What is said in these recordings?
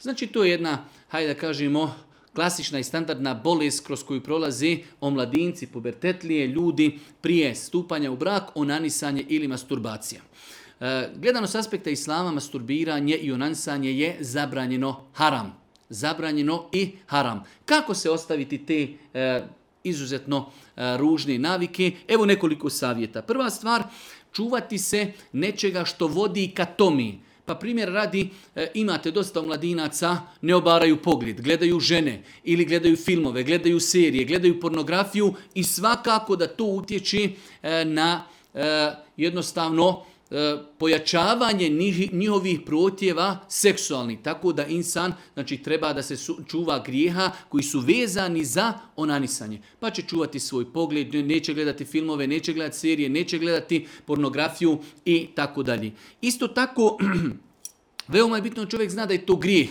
Znači to je jedna, hajde da kažemo, klasična i standardna bolest kroz koju prolazi omladinci, pubertetlije, ljudi prije stupanja u brak, onanisanje ili masturbacija. Gledano s aspekta islama, masturbiranje i onanisanje je zabranjeno haram. Zabranjeno i haram. Kako se ostaviti te izuzetno ružne navike? Evo nekoliko savjeta. Prva stvar, čuvati se nečega što vodi ka tomi. Pa primjer radi, imate dosta mladinaca, ne obaraju pogled, gledaju žene ili gledaju filmove, gledaju serije, gledaju pornografiju i svakako da to utječe na jednostavno pojačavanje njihovih protjeva seksualnih. Tako da insan treba da se čuva grijeha koji su vezani za onanisanje. Pa će čuvati svoj pogled, neće gledati filmove, neće gledati serije, neće gledati pornografiju i tako dalje. Isto tako, veoma je bitno da čovjek zna da je to grijeh.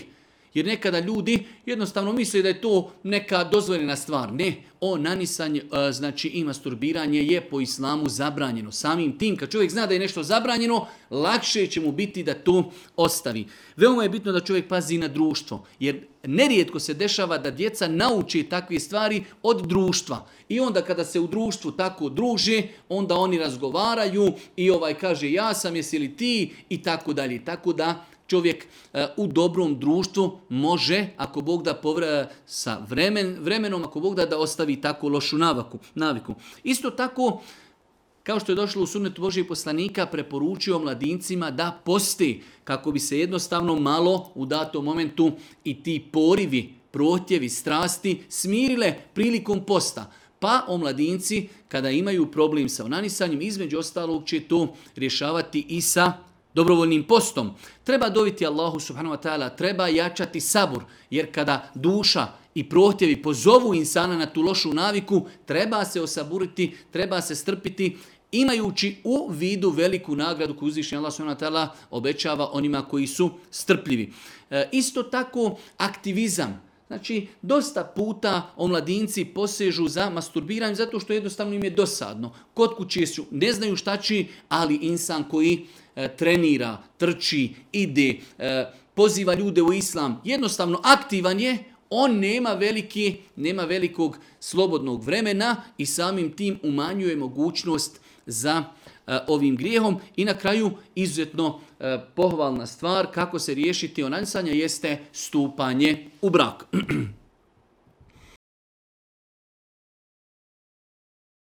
Jer nekada ljudi jednostavno misle da je to neka dozvoljena stvar. Ne, onanisanje, znači i masturbiranje je po islamu zabranjeno. Samim tim, kad čovjek zna da je nešto zabranjeno, lakše će mu biti da to ostavi. Veoma je bitno da čovjek pazi na društvo. Jer nerijetko se dešava da djeca nauče takve stvari od društva. I onda kada se u društvu tako druže, onda oni razgovaraju i ovaj kaže ja sam, jesi li ti i tako dalje. Tako da čovjek u dobrom društvu može, ako Bog da sa vremenom, ako Bog da ostavi tako lošu naviku. Isto tako, kao što je došlo u sunnetu Božijeg poslanika, preporučio mladincima da posti, kako bi se jednostavno malo u datom momentu i ti porivi, protjevi, strasti smirile prilikom posta. Pa omladinci, kada imaju problem sa onanisanjem, između ostalog će to rješavati i sa dobrovoljnim postom. Treba doviti Allahu subhanahu wa ta'ala, treba jačati sabur, jer kada duša i prohtjevi pozovu insana na tu lošu naviku, treba se osaburiti, treba se strpiti, imajući u vidu veliku nagradu koju uzvišeni Allah subhanahu wa ta'ala obećava onima koji su strpljivi. Isto tako aktivizam. Znači, dosta puta omladinci posežu za masturbiranjem zato što jednostavno im je dosadno. Kod kuće su, ne znaju šta će, ali insan koji trenira, trči, ide, poziva ljude u islam, jednostavno aktivan je, on nema velikog slobodnog vremena i samim tim umanjuje mogućnost za ovim grijehom. I na kraju izuzetno pohvalna stvar kako se riješiti onanisanja jeste stupanje u brak.